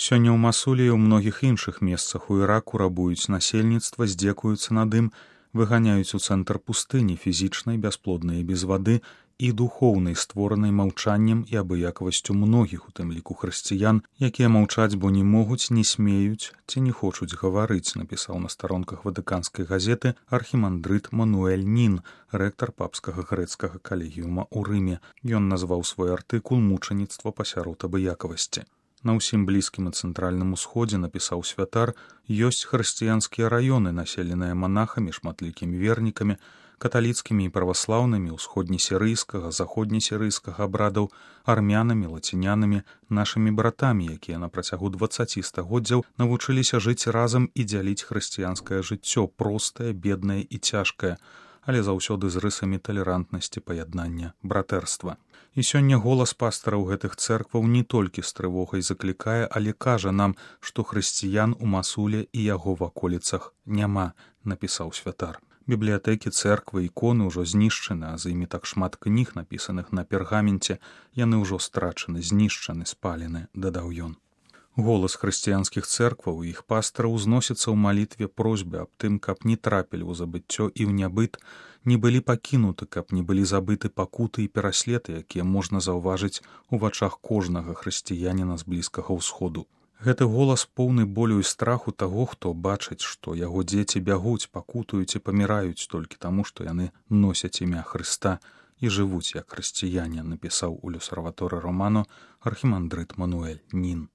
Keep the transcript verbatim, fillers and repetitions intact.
Сёння ў Масулі і ў многіх іншых месцах у Іраку рабуюць насельніцтва, здзекуюцца над ім, выганяюць у цэнтр пустыні фізічнай, бясплоднай і без вады, і духоўнай, створанай маўчаннем і абыякавасцю многіх, у тым ліку хрысціян, якія маўчаць, бо не могуць, не смеюць ці не хочуць гаварыць, напісаў на старонках ватыканскай газеты архімандрыт Мануэль Нін, рэктар папскага грэцкага калегіума ў Рыме. Ён назваў свой артыкул «Мучаніцтва пасярод абыякавасці». На ўсім блізкім і цэнтральным усходзе, напісаў святар, ёсць хрысціянскія раёны, населеныя манахамі, шматлікімі вернікамі, каталіцкімі і праваслаўнымі, усходнесірыйскага, заходнесірыйскага абрадаў, армянамі, лацінянамі, нашымі братамі, якія на працягу дваццаці стагоддзяў навучыліся жыць разам і дзяліць хрысціянскае жыццё, простае, беднае і цяжкае, але заўсёды з рысамі талерантнасці, паяднання, братэрства. І сёння голас пастараў гэтых цэркваў не толькі з трывогай заклікае, але кажа нам, што хрысціян у Масуле і яго ваколіцах няма, напісаў святар. Бібліятэкі, цэрквы, іконы ўжо знішчаны, а з імі так шмат кніг, напісаных на пергаменце, яны ўжо страчаны, знішчаны, спалены, дадаў ён. Голас хрысціянскіх цэркваў і іх пастараў узносіцца ў малітве просьбы аб тым, каб не трапілі ў забыццё і ў нябыт, не былі пакінуты, каб не былі забыты пакуты і пераследы, якія можна заўважыць у вачах кожнага хрысціяніна з Блізкага ўсходу. Гэты голас поўны болю і страху таго, хто бачыць, што яго дзеці бягуць, пакутуюць і паміраюць толькі таму, што яны носяць імя Хрыста і жывуць як хрысціяне, напісаў у L'Osservatore Romano архімандрыт Мануэль Нін.